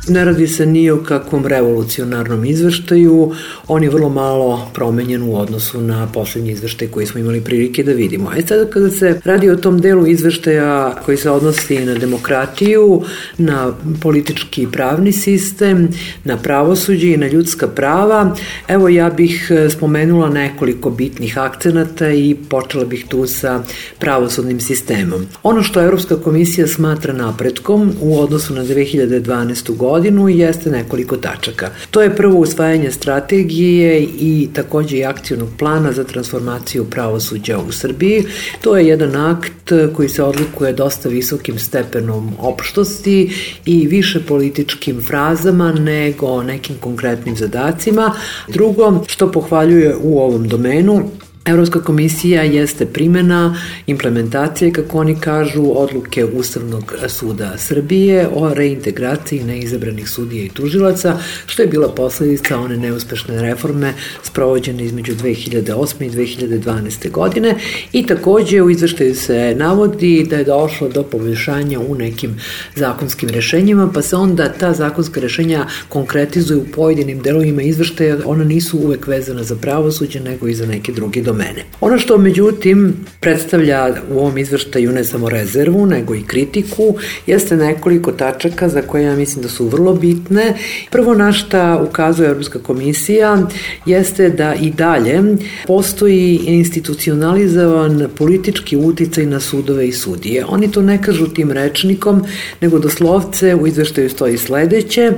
Ne radi se ni o kakvom revolucionarnom izveštaju, on je vrlo malo promenjen u odnosu na poslednji izveštaj koji smo imali prilike da vidimo. Sada kada se radi o tom delu izveštaja koji se odnosi na demokratiju, na politički i pravni sistem, na pravosuđe i na ljudska prava, evo ja bih spomenula nekoliko bitnih akcenata i počela bih tu sa pravosudnim sistemom. Ono što Evropska komisija smatra napretkom u odnosu na 2012. godinu jeste nekoliko tačaka. To je prvo usvajanje strategije i takođe i akcionog plana za transformaciju pravosuđa u Srbiji. To je jedan akt koji se odlikuje dosta visokim stepenom opštosti i više političkim frazama nego nekim konkretnim zadacima. Drugo, što pohvaljuje u ovom domenu, Evropska komisija jeste primjena implementacije, kako oni kažu, odluke Ustavnog suda Srbije o reintegraciji neizabranih sudija i tužilaca, što je bila posledica one neuspešne reforme sprovođene između 2008. i 2012. godine i takođe u izveštaju se navodi da je došlo do poboljšanja u nekim zakonskim rešenjima, pa se onda ta zakonska rešenja konkretizuju u pojedinim delovima izveštaja, ona nisu uvek vezana za pravosuđe nego i za neke druge domene. Ono što međutim predstavlja u ovom izveštaju ne samo rezervu nego i kritiku jeste nekoliko tačaka za koje ja mislim da su vrlo bitne. Prvo na šta ukazuje Evropska komisija jeste da i dalje postoji institucionalizovan politički uticaj na sudove i sudije. Oni to ne kažu tim rečnikom, nego doslovce u izveštaju stoji sledeće: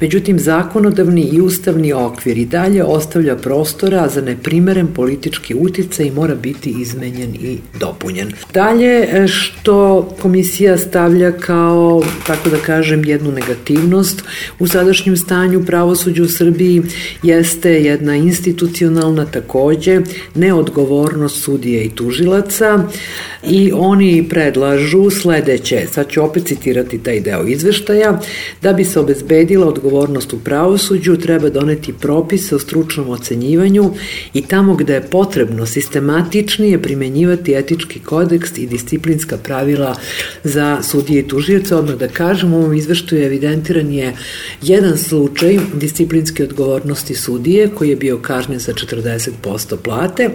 međutim zakonodavni i ustavni okvir i dalje ostavlja prostora za neprimeren politički uticaj i mora biti izmenjen i dopunjen. Dalje, što komisija stavlja kao, tako da kažem, jednu negativnost u sadašnjem stanju pravosuđa u Srbiji jeste jedna institucionalna takođe neodgovornost sudija i tužilaca i oni predlažu sledeće, sad ću opet citirati taj deo izveštaja: da bi se obezbedila odgovornost u pravosuđu treba doneti propise o stručnom ocenjivanju i tamo gde je potrebno sistematičnije primenjivati etički kodeks i disciplinska pravila za sudije i tužioce. Odmah da kažem, u ovom izveštaju evidentiran je jedan slučaj disciplinske odgovornosti sudije koji je bio kažnjen sa 40% plate,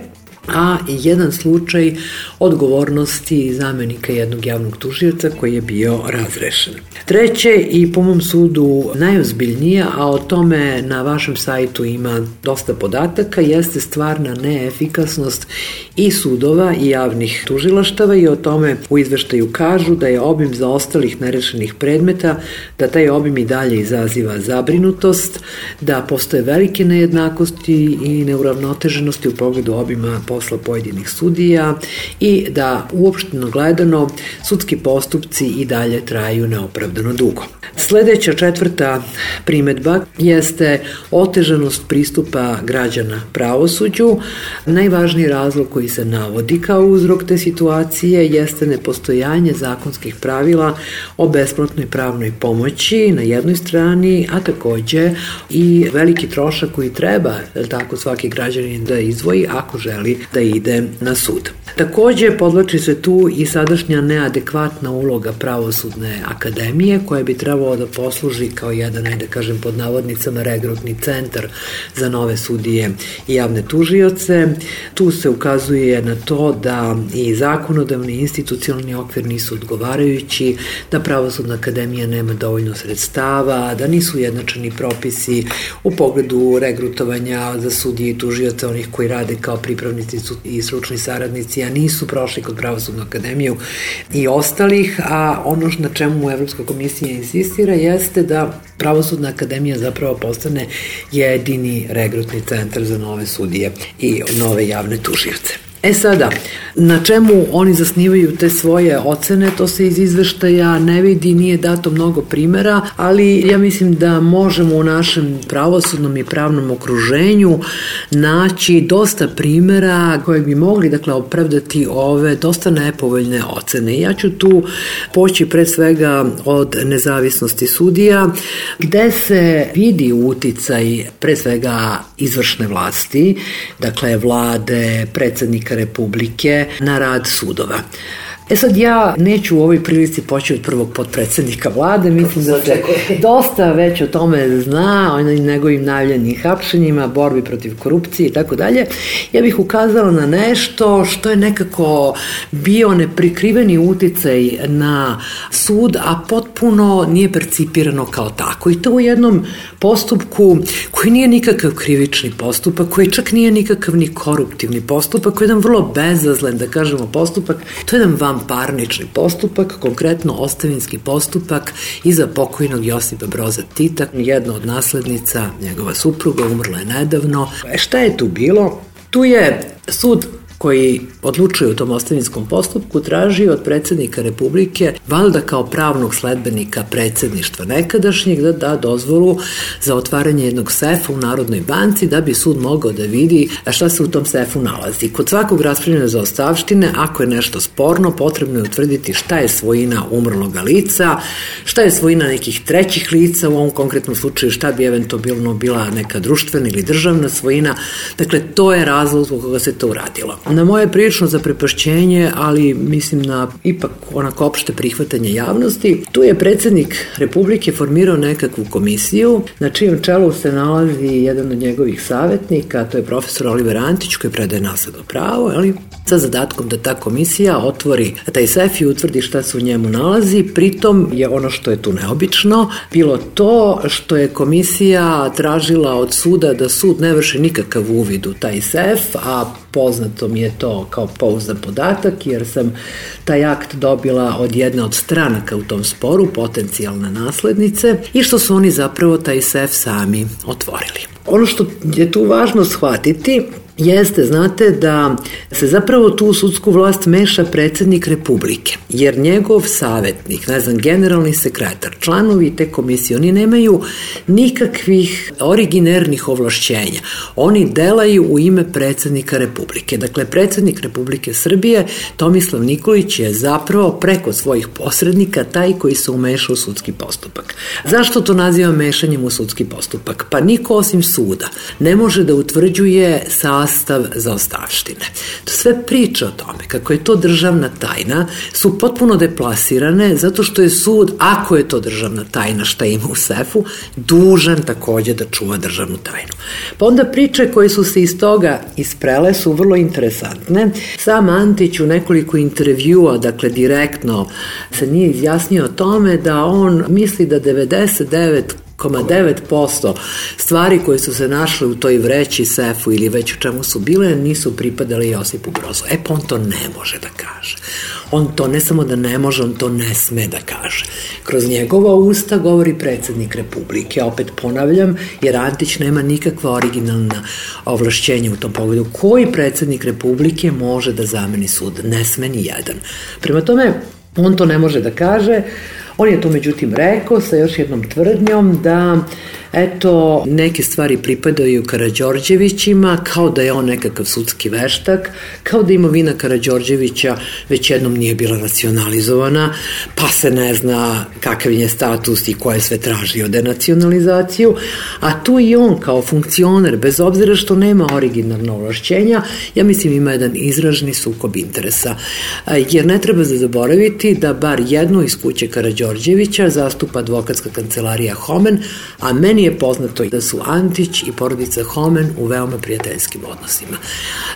a jedan slučaj odgovornosti zamenika jednog javnog tužioca koji je bio razrešen. Treće i po mom sudu najozbiljnije, a o tome na vašem sajtu ima dosta podataka, jeste stvarna neefikasnost i sudova i javnih tužilaštava i o tome u izveštaju kažu da je obim zaostalih nerešenih predmeta, da taj obim i dalje izaziva zabrinutost, da postoje velike nejednakosti i neuravnoteženosti u pogledu obima posla pojedinih sudija i da uopšteno gledano sudski postupci i dalje traju neopravdano dugo. Sledeća, četvrta primetba jeste otežanost pristupa građana pravosuđu. Najvažniji razlog koji se navodi kao uzrok te situacije jeste nepostojanje zakonskih pravila o besplatnoj pravnoj pomoći na jednoj strani, a takođe i veliki trošak koji treba, tako, svaki građanin da izdvoji ako želi da ide na sud. Takođe, podvlači se tu i sadašnja neadekvatna uloga Pravosudne akademije koja bi trebalo da posluži kao jedan, da kažem pod navodnicama, regrutni centar za nove sudije i javne tužioce. Tu se ukazuje na to da i zakonodavni i institucionalni okvir nisu odgovarajući, da Pravosudna akademija nema dovoljno sredstava, da nisu ujednačeni propisi u pogledu regrutovanja za sudije i tužioce, onih koji rade kao pripravnici i stručni saradnici, a nisu prošli kod Pravosudnu akademiju i ostalih, a ono na čemu Evropska komisija insistira jeste da Pravosudna akademija zapravo postane jedini regrutni centar za nove sudije i nove javne tužioce. Sada, na čemu oni zasnivaju te svoje ocene, to se iz izveštaja ne vidi, nije dato mnogo primera, ali ja mislim da možemo u našem pravosudnom i pravnom okruženju naći dosta primera koje bi mogli, dakle, opravdati ove dosta nepovoljne ocene. Ja ću tu poći pre svega od nezavisnosti sudija, gde se vidi uticaj pre svega izvršne vlasti, dakle vlade, predsednika Republike, na rad sudova. Sad ja neću u ovoj prilici poći od prvog potpredsednika vlade, mislim da se dosta već o tome zna, o njegovim najavljenim hapšenjima, borbi protiv korupcije i tako dalje. Ja bih ukazala na nešto što je nekako bio neprikriveni uticaj na sud, a potpuno nije percipirano kao tako. I to u jednom postupku koji nije nikakav krivični postupak, koji čak nije nikakav ni koruptivni postupak, koji je jedan vrlo bezazlen, da kažemo, postupak. To je jedan vanparnični postupak, konkretno ostavinski postupak iza pokojnog Josipa Broza Tita. Jedna od naslednica, njegova supruga, umrla je nedavno. Šta je tu bilo? Tu je sud koji odlučuje u tom ostavinskom postupku, traži od predsjednika Republike, valjda kao pravnog sledbenika predsjedništva nekadašnjeg, da da dozvolu za otvaranje jednog sefa u Narodnoj banci, da bi sud mogao da vidi šta se u tom sefu nalazi. Kod svakog raspravljanja zaostavštine, ako je nešto sporno, potrebno je utvrditi šta je svojina umrloga lica, šta je svojina nekih trećih lica, u ovom konkretnom slučaju šta bi eventualno bila neka društvena ili državna svojina. Dakle, to je razlog zbog koga se to uradilo. Na moje prilično zaprepašćenje, ali mislim na ipak onako opšte prihvatanje javnosti, tu je predsjednik Republike formirao nekakvu komisiju, na čijem čelu se nalazi jedan od njegovih savjetnika, to je profesor Oliver Antić, koji predaje nasledno pravo, sa zadatkom da ta komisija otvori taj sef i utvrdi šta se u njemu nalazi. Pritom je ono što je tu neobično bilo to što je komisija tražila od suda da sud ne vrši nikakav uvid u taj sef, a poznato mi je to kao pouzdan podatak, jer sam taj akt dobila od jedne od stranaka u tom sporu, potencijalne naslednice, i što su oni zapravo taj sef sami otvorili. Ono što je tu važno shvatiti jeste, znate, da se zapravo tu u sudsku vlast meša predsjednik Republike, jer njegov savjetnik, generalni sekretar, članovi te komisije, oni nemaju nikakvih originernih ovlašćenja. Oni delaju u ime predsjednika Republike. Dakle, predsjednik Republike Srbije, Tomislav Nikolić, je zapravo preko svojih posrednika taj koji se umeša u sudski postupak. Zašto to nazivam mešanjem u sudski postupak? Pa niko osim suda ne može da utvrđuje sastav zaostavštine. To sve priče o tome kako je to državna tajna su potpuno deplasirane, zato što je sud, ako je to državna tajna šta ima u sefu, dužan takođe da čuva državnu tajnu. Pa onda priče koje su se iz toga isprele su vrlo interesantne. Sam Antić u nekoliko intervjua, dakle direktno, se nije izjasnio o tome da on misli da 99,9% stvari koje su se našle u toj vreći, sefu ili već u čemu su bile, nisu pripadale Josipu Brozu. Pa on to ne može da kaže. On to ne samo da ne može, on to ne sme da kaže. Kroz njegova usta govori predsjednik Republike, opet ponavljam, jer Antić nema nikakva originalna ovlašćenja u tom pogledu. Koji predsjednik Republike može da zameni sud? Ne sme ni jedan. Prema tome, on to ne može da kaže. On je to međutim rekao sa još jednom tvrdnjom da neke stvari pripadaju Karađorđevićima, kao da je on nekakav sudski veštak, kao da imovina Karađorđevića već jednom nije bila nacionalizovana, pa se ne zna kakav je status i ko je sve tražio denacionalizaciju, a tu i on kao funkcioner, bez obzira što nema originalno ovlašćenja, ja mislim ima jedan izraženi sukob interesa, jer ne treba zaboraviti da bar jednu iz kuće Karađorđevića zastupa advokatska kancelarija Homen, a meni je poznato da su Antić i porodica Homen u veoma prijateljskim odnosima.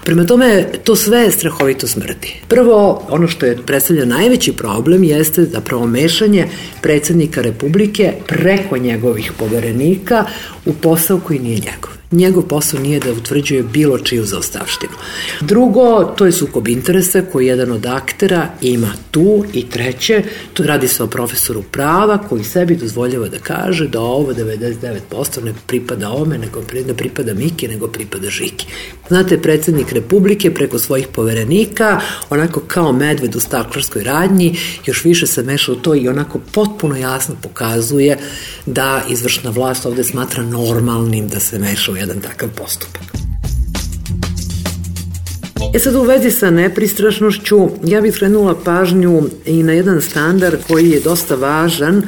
Prema tome, to sve strahovito smrdi. Prvo, ono što je predstavlja najveći problem jeste zapravo mešanje predsjednika Republike preko njegovih poverenika u posao koji nije njegov. Njegov posao nije da utvrđuje bilo čiju zaostavštinu. Drugo, to je sukob interesa koji jedan od aktera ima tu, i treće, tu radi se o profesoru prava koji sebi dozvoljava da kaže da ovo 99% ne pripada ome, nego ne pripada Miki, nego pripada Žiki. Znate, predsjednik Republike preko svojih poverenika, onako kao medved u staklarskoj radnji, još više se meša u to i onako potpuno jasno pokazuje da izvršna vlast ovde smatra normalnim da se meša u jedan takav postupak. Sad u vezi sa nepristrašnošću, ja bih skrenula pažnju i na jedan standard koji je dosta važan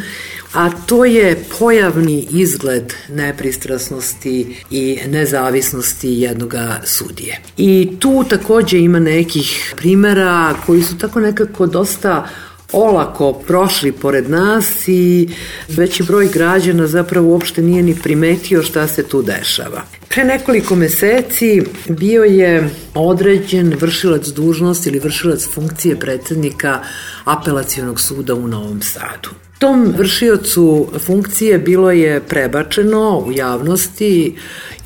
a to je pojavni izgled nepristrasnosti i nezavisnosti jednog sudije. I tu takođe ima nekih primera koji su tako nekako dosta olako prošli pored nas i veći broj građana zapravo uopšte nije ni primetio šta se tu dešava. Pre nekoliko meseci bio je određen vršilac dužnosti ili vršilac funkcije predsednika Apelacionog suda u Novom Sadu. Tom vršiocu funkcije bilo je prebačeno u javnosti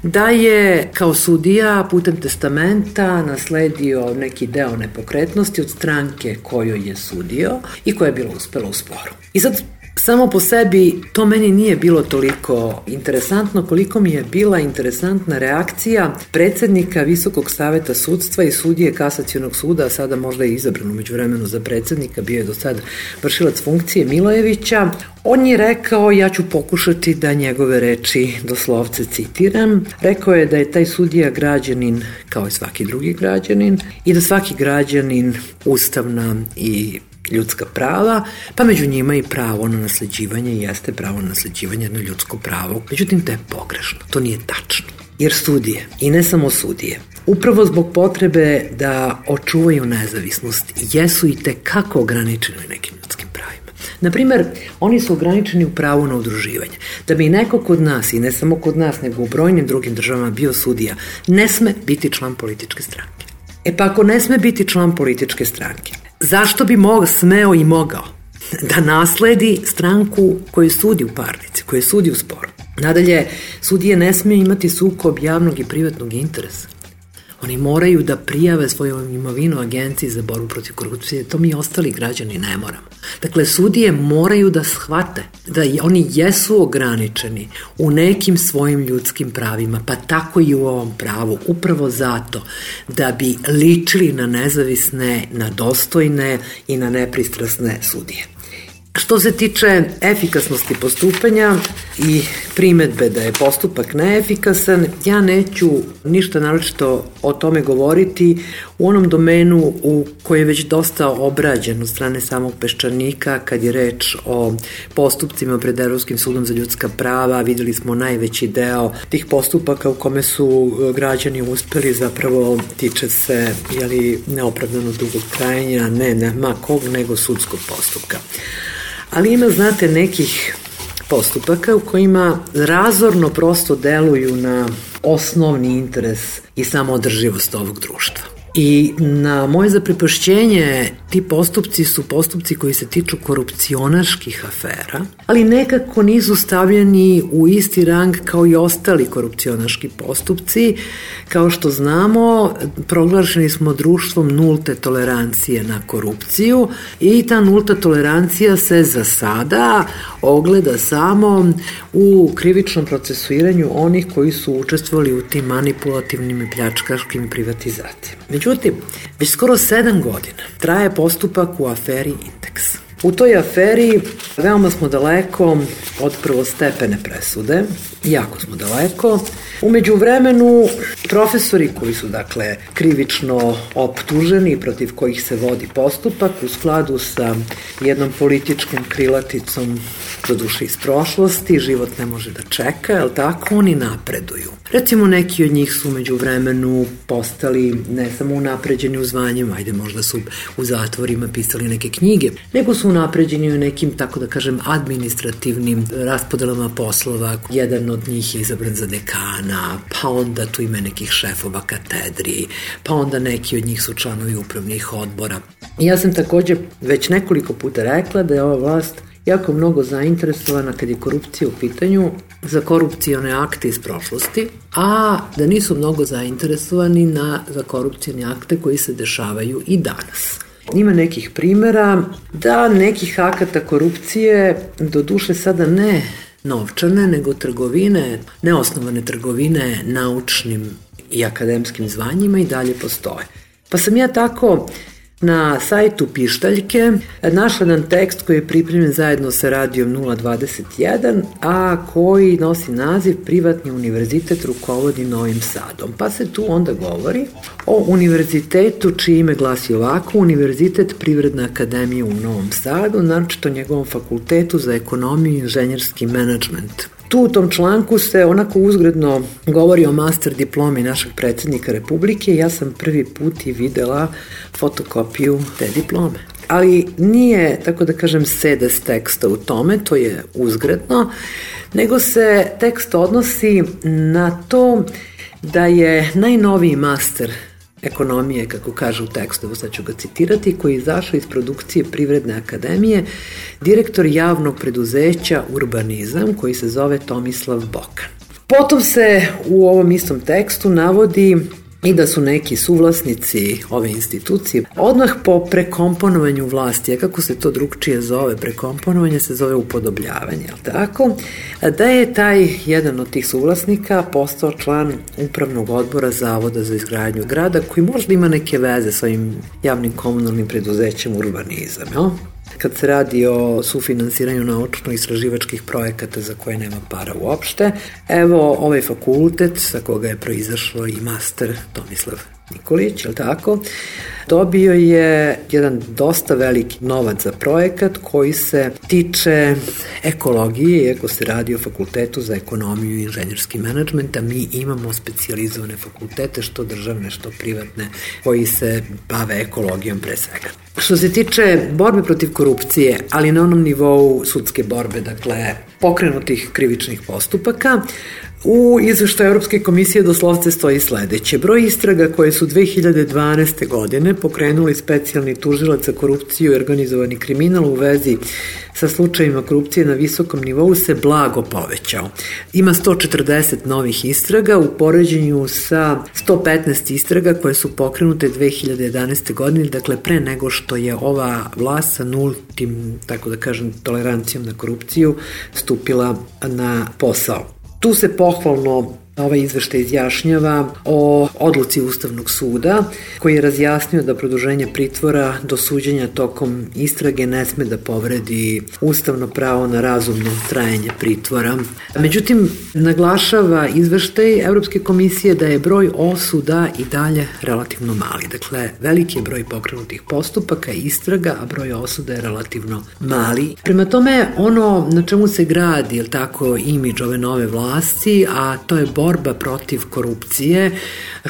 da je kao sudija putem testamenta nasledio neki deo nepokretnosti od stranke kojoj je sudio i koja je bila uspela u sporu. I sad samo po sebi to meni nije bilo toliko interesantno koliko mi je bila interesantna reakcija predsednika Visokog saveta sudstva i sudije Kasacionog suda, a sada možda je izabran umeđu vremenu za predsednika, bio je do sad vršilac funkcije, Milojevića. On je rekao, ja ću pokušati da njegove reči doslovce citiram, rekao je da je taj sudija građanin kao i svaki drugi građanin i da svaki građanin ustavna i ljudska prava, pa među njima i pravo na nasleđivanje, jeste pravo na nasleđivanje jedno ljudsko pravo. Međutim, to je pogrešno, to nije tačno. Jer sudije, i ne samo sudije, upravo zbog potrebe da očuvaju nezavisnost, jesu i tekako ograničeni nekim ljudskim pravima. Naprimer, oni su ograničeni u pravu na udruživanje. Da bi neko kod nas, i ne samo kod nas, nego u brojnim drugim državama bio sudija, ne sme biti član političke stranke. E pa ako ne sme biti član političke stranke, zašto bi smeo i mogao da nasledi stranku koju sudi u parnici, koju sudi u sporu? Nadalje, sudije ne smije imati sukob javnog i privatnog interesa. Oni moraju da prijave svoju imovinu Agenciji za borbu protiv korupcije, to mi ostali građani ne moramo. Dakle, sudije moraju da shvate da oni jesu ograničeni u nekim svojim ljudskim pravima, pa tako i u ovom pravu, upravo zato da bi ličili na nezavisne, na dostojne i na nepristrasne sudije. Što se tiče efikasnosti postupanja i primetbe da je postupak neefikasan, ja neću ništa naročito o tome govoriti u onom domenu u koji je već dosta obrađen od strane samog Peščanika kad je reč o postupcima pred Evropskim sudom za ljudska prava. Videli smo najveći deo tih postupaka u kome su građani uspeli, zapravo tiče se neopravdano dugog trajanja, ne ma kog nego sudskog postupka. Ali ima, znate, nekih postupaka u kojima razorno prosto deluju na osnovni interes i samoodrživost ovog društva. I na moje zaprepašćenje ti postupci su postupci koji se tiču korupcionaških afera, ali nekako nisu stavljeni u isti rang kao i ostali korupcionaški postupci. Kao što znamo, proglašeni smo društvom nulte tolerancije na korupciju i ta nulta tolerancija se za sada ogleda samo u krivičnom procesuiranju onih koji su učestvovali u tim manipulativnim i pljačkaškim privatizacijama. Međutim, već skoro 7 godina traje postupak u aferi Indeks. U toj aferi veoma smo daleko od prvostepene presude, jako smo daleko. Umeđu vremenu, profesori koji su, dakle, krivično optuženi, protiv kojih se vodi postupak, u skladu sa jednom političkom krilaticom, doduše iz prošlosti, život ne može da čeka, jel tako, oni napreduju. Recimo, neki od njih su umeđu vremenu postali ne samo unapređeni u zvanjima, možda su u zatvorima pisali neke knjige, nego su unapređeni u nekim, tako da kažem, administrativnim raspodelama poslova. Jedan od njih je izabran za dekana, pa onda tu ima nekih šefova katedri, pa onda neki od njih su članovi upravnih odbora. I ja sam takođe već nekoliko puta rekla da je ova vlast jako mnogo zainteresovana kad je korupcija u pitanju za korupcione akte iz prošlosti, a da nisu mnogo zainteresovani za korupcione akte koji se dešavaju i danas. Ima nekih primera da nekih akata korupcije, do duše sada ne novčane, nego trgovine, neosnovane trgovine naučnim i akademskim zvanjima i dalje postoje. Pa sam ja tako na sajtu Pištaljke našla jedan tekst koji je pripremljen zajedno sa Radijom 021, a koji nosi naziv Privatni univerzitet rukovodi Novim Sadom. Pa se tu onda govori o univerzitetu čije ime glasi ovako: Univerzitet Privredna akademija u Novom Sadu, naročito njegovom fakultetu za ekonomiju i inženjerski menadžment. Tu u tom članku se onako uzgredno govori o master diplomi našeg predsjednika Republike. Ja sam prvi put i videla fotokopiju te diplome. Ali nije, tako da kažem, sedes teksta u tome, to je uzgredno, nego se tekst odnosi na to da je najnoviji master ekonomije, kako kaže u tekstu, sad ću ga citirati, koji je izašao iz produkcije Privredne akademije, direktor javnog preduzeća Urbanizam, koji se zove Tomislav Bokan. Potom se u ovom istom tekstu navodi i da su neki suvlasnici ove institucije odmah po prekomponovanju vlasti, a kako se to drugčije zove, prekomponovanje se zove upodobljavanje, jel tako? Da je taj jedan od tih suvlasnika postao član upravnog odbora Zavoda za izgradnju grada, koji možda ima neke veze s ovim javnim komunalnim preduzećem Urbanizam, jel? Kad se radi o sufinansiranju naučno-istraživačkih projekata za koje nema para uopšte, evo ovaj fakultet sa koga je proizašlo i master Tomislav Nikolić, je li tako, dobio je jedan dosta veliki novac za projekat koji se tiče ekologije, iako se radi o fakultetu za ekonomiju i inženjerski menadžment, a mi imamo specijalizovane fakultete, što državne, što privatne, koji se bave ekologijom pre svega. Što se tiče borbe protiv korupcije, ali na onom nivou sudske borbe, dakle pokrenutih krivičnih postupaka, u izveštaju Europske komisije doslovce stoji sledeće: broj istraga koje su 2012. godine pokrenuli specijalni tužilac za korupciju i organizovani kriminal u vezi sa slučajima korupcije na visokom nivou se blago povećao. Ima 140 novih istraga u poređenju sa 115 istraga koje su pokrenute 2011. godine, dakle pre nego što je ova vlast sa nultim, tako da kažem, tolerancijom na korupciju stupila na posao. Tu se pohvalno ovaj izveštaj izjašnjava o odluci Ustavnog suda, koji je razjasnio da produženje pritvora do suđenja tokom istrage ne sme da povredi ustavno pravo na razumno trajanje pritvora. Međutim, naglašava izveštaj Evropske komisije da je broj osuda i dalje relativno mali. Dakle, veliki je broj pokrenutih postupaka i istraga, a broj osuda je relativno mali. Prema tome, ono na čemu se gradi, je tako, imidž ove nove vlasti, a to je borba protiv korupcije,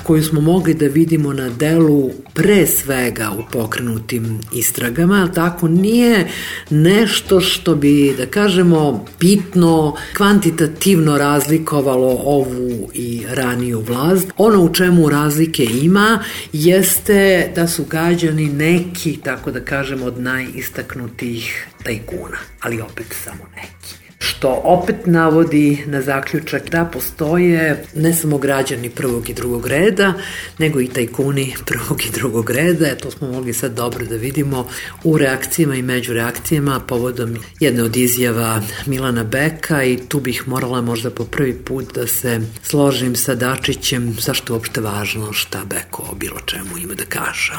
koju smo mogli da vidimo na delu pre svega u pokrenutim istragama, tako nije nešto što bi, da kažemo, bitno, kvantitativno razlikovalo ovu i raniju vlast. Ono u čemu razlike ima jeste da su gađani neki, tako da kažemo, od najistaknutih tajkuna, ali opet samo neki. Što opet navodi na zaključak da postoje ne samo građani prvog i drugog reda, nego i tajkuni prvog i drugog reda. To smo mogli sad dobro da vidimo u reakcijama i među reakcijama povodom jedne od izjava Milana Beka, i tu bih morala možda po prvi put da se složim sa Dačićem zašto je uopšte važno šta Beko o bilo čemu ima da kaže.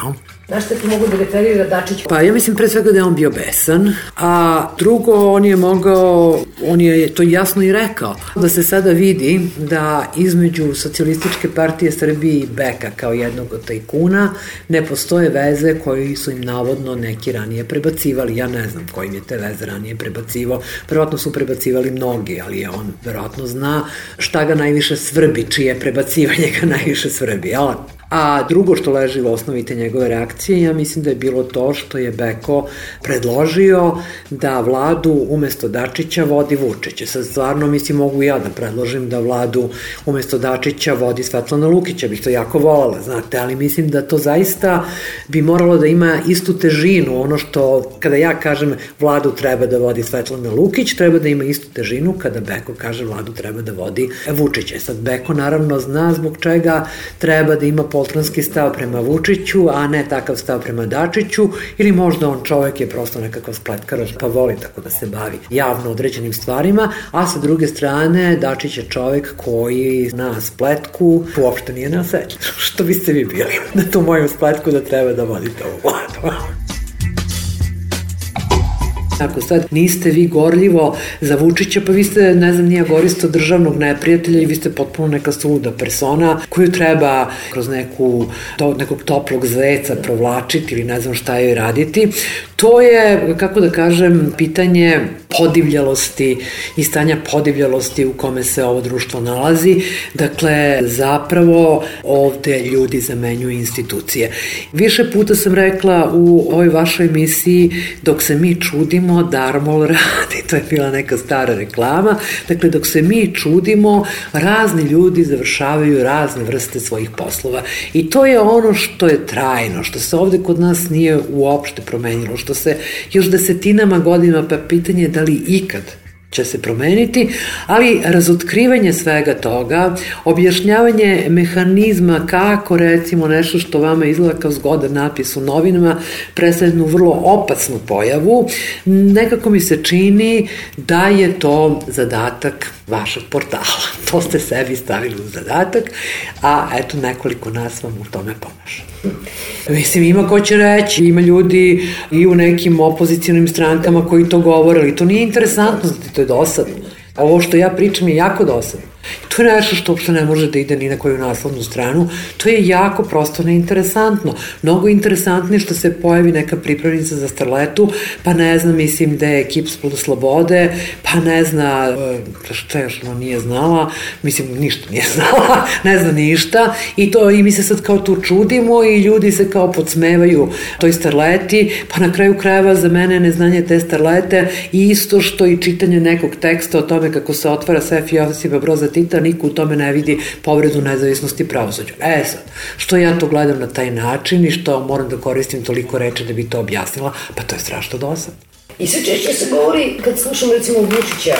Znaš šta ti mogu da referira Dačić? Pa ja mislim pre svega da je on bio besan, a drugo on je to jasno i rekao, da se sada vidi da između Socijalističke partije Srbije i Beka kao jednog od tajkuna ne postoje veze koji su im navodno neki ranije prebacivali. Ja ne znam kojim je te veze ranije prebacivao, verovatno su prebacivali mnogi, ali on verovatno zna šta ga najviše svrbi, čije prebacivanje ga najviše svrbi, jel? A drugo što leži u osnovi te njegove reakcije, ja mislim da je bilo to što je Beko predložio da vladu umesto Dačića vodi Vučić. Sad stvarno, mislim, mogu ja da predložim da vladu umesto Dačića vodi Svetlana Lukića, bih to jako voljela, znate, ali mislim da to zaista bi moralo da ima istu težinu. Ono što, kada ja kažem vladu treba da vodi Svetlana Lukić, treba da ima istu težinu kada Beko kaže vladu treba da vodi Vučić. Sad Beko naravno zna zbog čega treba da ima poltronski stav prema Vučiću, a ne takav stav prema Dačiću, ili možda on čovjek je prosto nekakav spletkar pa voli tako da se bavi javno određenim stvarima, a sa druge strane Dačić je čovjek koji na spletku uopšte nije neosetljiv. Što biste vi bili na tu moju spletku da treba da vodite ovu vladu? Ako sad niste vi gorljivo za Vučića, pa vi ste, ne znam, nije goristo državnog neprijatelja i vi ste potpuno neka suluda persona koju treba kroz nekog toplog zeca provlačiti ili ne znam šta joj raditi. To je, kako da kažem, pitanje podivljalosti i stanja podivljalosti u kome se ovo društvo nalazi. Dakle, zapravo ovde ljudi zamenjuju institucije. Više puta sam rekla u ovoj vašoj emisiji, dok se mi čudimo, Darmol radi. To je bila neka stara reklama. Dakle, dok se mi čudimo, razni ljudi završavaju razne vrste svojih poslova. I to je ono što je trajno, što se ovde kod nas nije uopšte promenilo, što se još desetinama godina, pa pitanje je da li ikad će se promeniti, ali razotkrivanje svega toga, objašnjavanje mehanizma kako recimo nešto što vama izgleda kao zgodan napis u novinama predstavlja jednu vrlo opasnu pojavu, nekako mi se čini da je to zadatak vašeg portala. To ste sebi stavili u zadatak, a eto nekoliko nas vam u tome pomaže. Mislim, ima ko će reći, ima ljudi i u nekim opozicijalnim strankama koji to govore, ali to nije interesantno, to je dosadno. Ovo što ja pričam je jako dosadno. To je nešto što uopšte ne može da ide ni na koju naslovnu stranu. To je jako prosto neinteresantno. Mnogo interesantnije što se pojavi neka pripravnica za starletu, pa ne znam, mislim da je ekip Slobode, pa ne zna, šta još ono nije znala, mislim, ništa nije znala, ne zna ništa, i mi se sad kao tu čudimo i ljudi se kao podsmevaju toj starleti, pa na kraju krajeva za mene neznanje te starlete i isto što i čitanje nekog teksta o tome kako se otvara sef Josipa Broza Tita, niko u tome ne vidi povredu nezavisnosti pravosuđa. Sad, što ja to gledam na taj način i što moram da koristim toliko reči da bi to objasnila, pa to je strašno dosadno. I sve češće se govori, kad slušam recimo Vučića,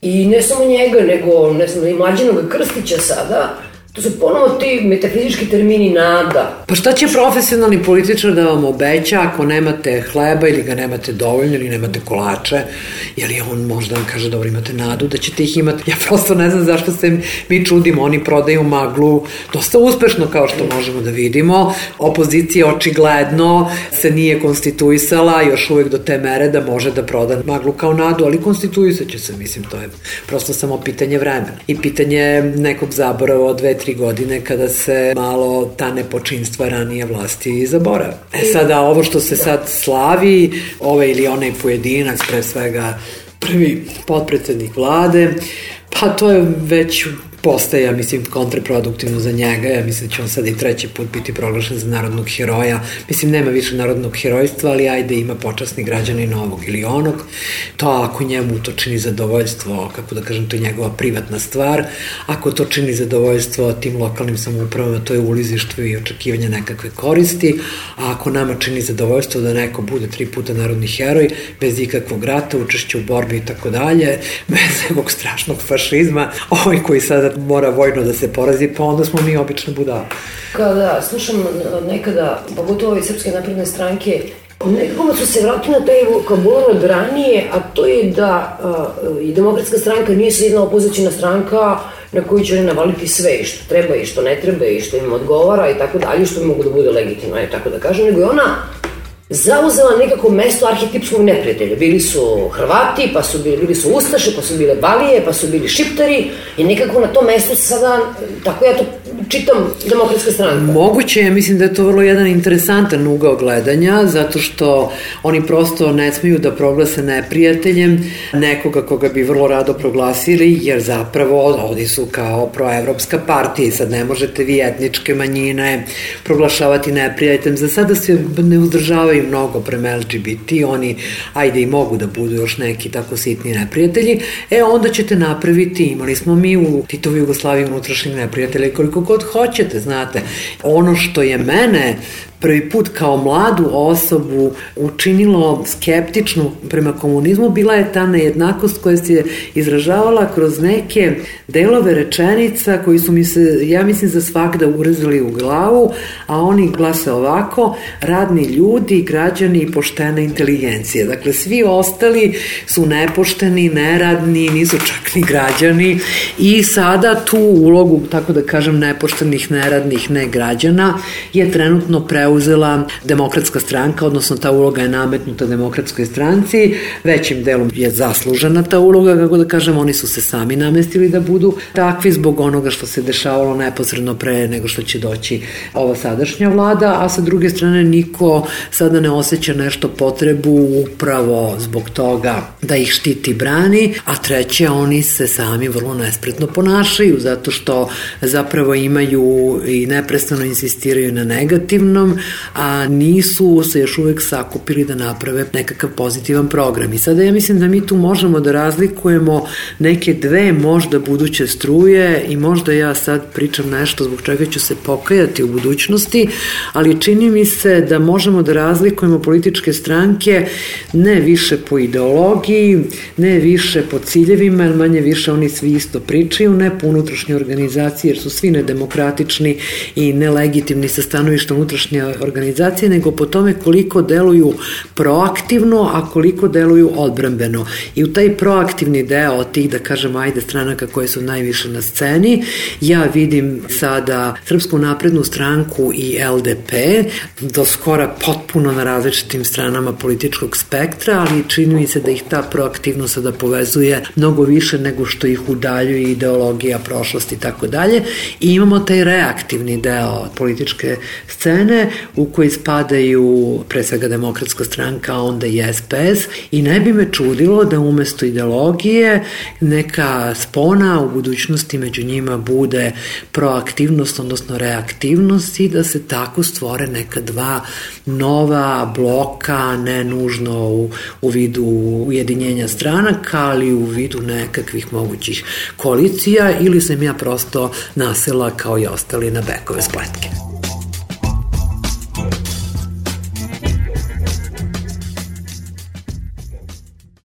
i ne samo njega, nego ne znam, i Mlađanoga Krstića sada, to su ponovo ti metafizički termini nada. Pa šta će profesionalni političar da vam obeća ako nemate hleba ili ga nemate dovoljno ili nemate kolače, jer on možda vam kaže dobro imate nadu da ćete ih imati. Ja prosto ne znam zašto se mi čudimo, oni prodaju maglu dosta uspešno kao što možemo da vidimo. Opozicija očigledno se nije konstituisala još uvek do te mere da može da proda maglu kao nadu, ali konstituisat će se, mislim, to je prosto samo pitanje vremena i pitanje nekog zaborava od 2-3 godine kada se malo ta nepočinstva ranije vlasti zaborave. Sada ovo što se sad slavi, ovaj ili onaj pojedinac, pre svega prvi potpredsednik vlade, pa to je već postaje, ja mislim, kontraproduktivno za njega. Ja mislim da će on sad i treći put biti proglašen za narodnog heroja. Mislim, nema više narodnog herojstva, ali ajde, ima počasni građanin ovog ili onog. To ako njemu to čini zadovoljstvo, kako da kažem, to je njegova privatna stvar. Ako to čini zadovoljstvo tim lokalnim samoupravama, to je ulizištvo i očekivanje nekakve koristi. A ako nama čini zadovoljstvo da neko bude 3 puta narodni heroj, bez ikakvog rata, učešća u borbi i tako dalje, bez nekog strašnog fašizma, ovaj koji sada mora vojno da se porazi, pa onda smo mi obično budali. Kada slušam nekada, pogotovo ove Srpske napredne stranke, nekako su se vratili na taj vokabular od ranije, a to je da i Demokratska stranka nije se jedna opozicijna stranka na koju će navaliti sve i što treba i što ne treba i što im odgovara i tako dalje, što mogu da bude legitimno, tako da kažem, nego je ona zauzela nekako mesto arhetipskog neprijatelja. Bili su Hrvati, pa su bili su Ustaše, pa su bile Balije, pa su bili Šiptari i nekako na tom mestu sada, tako ja to čitam, Demokratska stranka. Moguće je, mislim da je to vrlo jedan interesantan ugao gledanja, zato što oni prosto ne smeju da proglase neprijateljem nekoga koga bi vrlo rado proglasili, jer zapravo ovdje su kao proevropska partija i sad ne možete vi etničke manjine proglašavati neprijateljem. Za sada se ne uzdržavaju mnogo prema LGBT, oni ajde i mogu da budu još neki tako sitni neprijatelji, onda ćete napraviti, imali smo mi u Titovoj Jugoslaviji unutrašnjeg neprijatelja koliko god hoćete, znate. Ono što je mene prvi put kao mladu osobu učinilo skeptičnu prema komunizmu bila je ta nejednakost koja se izražavala kroz neke delove rečenica koji su mi se, ja mislim, za svakda urezali u glavu, a oni glase ovako: radni ljudi građani i poštena inteligencija. Dakle, svi ostali su nepošteni, neradni, nisu čak ni građani i sada tu ulogu, tako da kažem, nepoštenih, neradnih, ne građana je trenutno preuzela Demokratska stranka, odnosno ta uloga je nametnuta Demokratskoj stranci, većim delom je zaslužena ta uloga, kako da kažem, oni su se sami namestili da budu takvi zbog onoga što se dešavalo neposredno pre nego što će doći ova sadašnja vlada, a sa druge strane niko sada ne osjeća nešto potrebu upravo zbog toga da ih štiti, brani, a treće, oni se sami vrlo nespretno ponašaju zato što zapravo imaju i neprestano insistiraju na negativnom, a nisu se još uvek sakupili da naprave nekakav pozitivan program. I sada ja mislim da mi tu možemo da razlikujemo neke dve možda buduće struje i možda ja sad pričam nešto zbog čega ću se pokajati u budućnosti, ali čini mi se da možemo da razlikujemo političke stranke ne više po ideologiji, ne više po ciljevima, jer manje više oni svi isto pričaju, ne po unutrašnjoj organizaciji, jer su svi nedemokratični i nelegitimni sa stanovišta unutrašnje organizacije, nego po tome koliko deluju proaktivno, a koliko deluju odbrambeno. I u taj proaktivni deo od tih, da kažem, ajde, stranaka koje su najviše na sceni, ja vidim sada Srpsku naprednu stranku i LDP, do skora potpuno na različitim stranama političkog spektra, ali čini mi se da ih ta proaktivnost sada povezuje mnogo više nego što ih udaljuje ideologija, prošlost i tako dalje. I imamo taj reaktivni deo političke scene u koji spadaju pre svega Demokratska stranka, a onda i SPS, i ne bi me čudilo da umesto ideologije neka spona u budućnosti među njima bude proaktivnost, odnosno reaktivnost, i da se tako stvore neka dva nova bloka, ne nužno u vidu ujedinjenja stranaka, ali u vidu nekakvih mogućih koalicija, ili sam ja prosto nasela kao i ostali na bekove spletke.